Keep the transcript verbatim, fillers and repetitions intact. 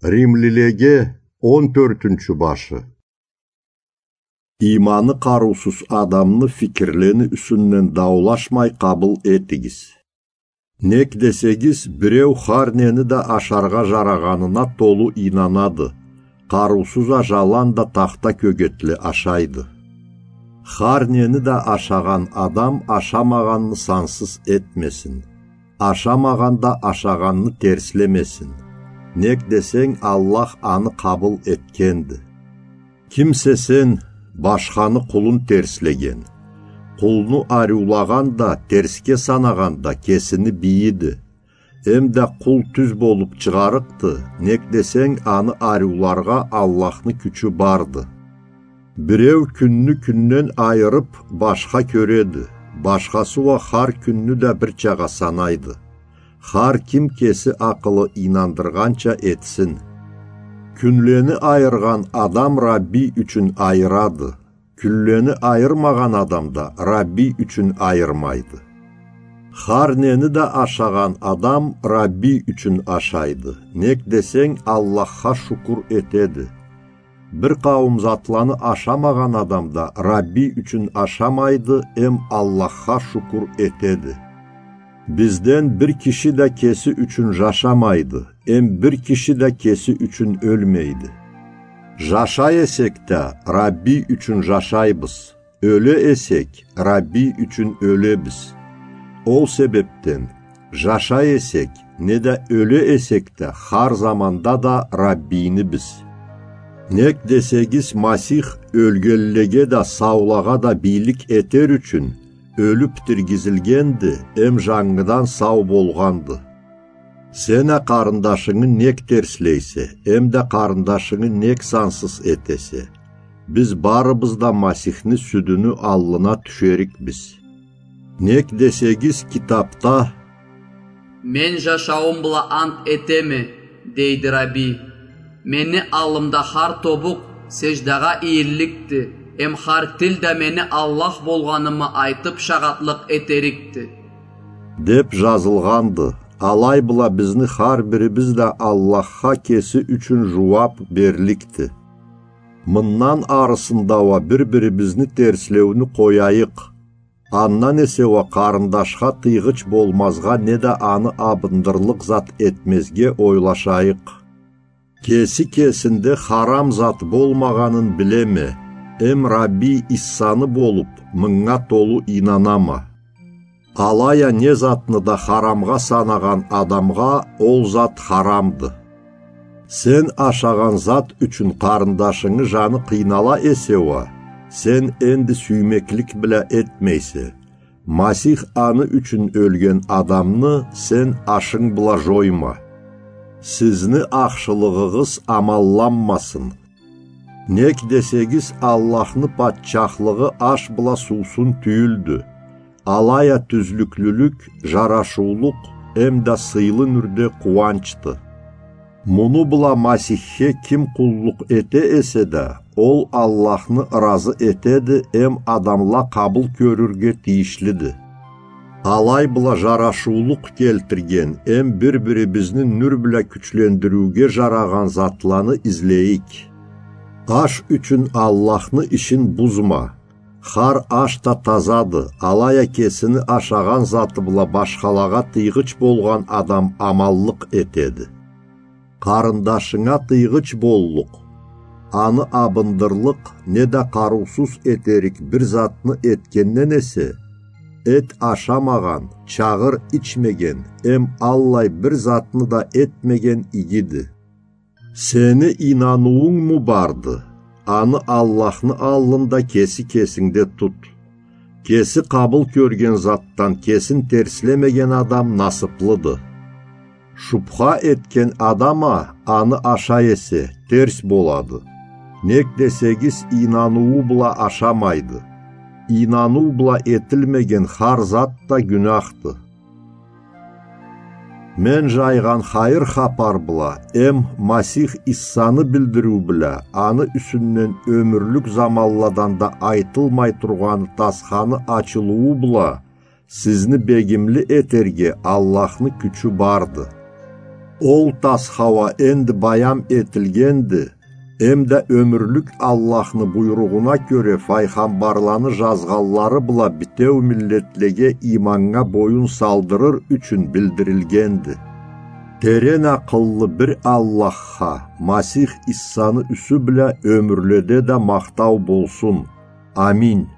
Римлилеге он тёртюнчю башы. Иманы къарыусуз адамны фикирлени юсюнден даулашмай къабыл этигиз. Нек десегиз, биреу хар нени да ашаргъа жарагъанына толу ийнанады, къарыусуз а жаланда тахта кёгетле ашайды. Хар нени да ашагъан адам ашамагъанны сансыз этмесин. Ашамагъан да ашагъанны терслемесин. Нек десенг, Аллах аны къабыл этгенди. Кимсе сен, башханы къулун терслеген, къулну ариулагъан да, терсге санагъан да кесини бийиди. Эм да къул тюз болуп чыгъарыкъды, нек десенг, аны ариуларгъа Аллахны кючю барды. Биреу кюнню кюнден айырып, башха кёреди, башхасы уа хар кюнню да бирчагъа санайды. Хар ким кеси акъылы ийнандыргъанча этсин. Кюнлени айыргъан адам Рабби ючюн айырады, кюнлени айырмагъан адам да Рабби ючюн айырмайды. Хар нени да ашагъан адам Рабби ючюн ашайды, нек десенг, Аллахха шукур этеди. Бир къауум затланы ашамагъан адам да Рабби ючюн ашамайды, эм Аллахха шукур этеди. Бизден бир киши да кеси ючюн жашамайды, эм бир киши да кеси ючюн ёлмейди. Жашай эсек да, Рабби ючюн жашайбыз. Ёле эсек, Рабби ючюн ёлебиз. Ол себепден, жашай эсек, неда ёле эсек да, хар заманда да Раббинибиз. Нек десегиз, Масих ёлгенлеге да, саулагъа да бийлик этер ючюн, ёлюп тиргизилгенди, эм жангыдан сау болгъанды. Сен а къарындашынгы нек терслейсе, эм да къарындашынгы нек сансыз этесе? Биз барыбыз да Масихни сюдюню аллына тюшерикбиз. Нек десегиз, китапда: «Мен жашауум бла ант этеме, — дейди Рабби. — Мени аллымда хар тобукъ сеждагъа ийилликди, эм хар тил да мени Аллах болгъанымы айтып шагъатлыкъ этерикди», — деп жазылгъанды. Алай бла бизни хар бирибиз да Аллахха кеси ючюн жууап берликди. Мындан арысында уа бир-бирибизни терслеуню къояйыкъ. Андан эсе уа къарындашха тыйгъыч болмазгъа неда аны абындырлыкъ зат этмезге ойлашайыкъ. Кеси кесинде харам зат болмагъанын билеме, эм Рабби Иссаны болуп, мынга толу ийнанама. Алай а не затны да харамгъа санагъан адамгъа ол зат харамды. Сен ашагъан зат ючюн къарындашынгы жаны къыйнала эсе уа, сен энди сюймеклик бла этмейсе. Масих аны ючюн ёлген адамны сен ашынг бла жойма. Сизни ахшылыгъыгъыз амалланмасын. Нек десегиз, Аллахны патчахлыгъы аш бла суусун тюйюлдю. Алай а тюзлюклюлюк, жарашыулукъ, эм да сыйлы нюрде къууанчды. Муну бла Масихге ким къуллукъ эте эсе да, ол Аллахны ыразы этеди, эм адамла къабыл кёрюрге тийишлиди. Алай бла жарашыулукъ келтирген, эм бир-бирибизни нюр бла кючлендириуге жарагъан затланы излейик. Аш ючюн Аллахны ишин бузма. Хар аш да тазады, алай а кесини ашагъан заты бла башхалагъа тыйгъыч болгъан адам аманлыкъ этеди. Къарындашынга тыйгъыч боллукъ, аны абындырлыкъ неда къарыусуз этерик бир затны этгенден эсе, эт ашамагъан, чагъыр ичмеген, эм аллай бир затны да этмеген игиди. Сени ийнануунгму барды? Аны Аллахны аллында кеси кесингде тут. Кеси къабыл кёрген затдан кесин терслемеген адам насыплыды. Шубха этген адам а аны ашай эсе, терс болады. Нек десегиз, ийнануу бла ашамайды. Ийнануу бла этилмеген хар зат да гюнахды. Мен жайгъан хайыр хапар бла, эм Масих Иссаны билдириу бла, аны юсюнден ёмюрлюк заманладан да айтылмай тургъаны тасханы ачылыуу бла, сизни бегимли этерге Аллахны кючю барды. Ол тасха уа энди баям этилгенди, эмда ёмюрлюк Аллахны буйругъуна кёре файгъамбарланы жазгъанлары бла битеу миллетлеге иманнга боюн салдырыр ючюн билдирилгенди. Терен акъыллы бир Аллахха, Масих Иссаны юсю бла ёмюрледе да махтау болсун. Амин.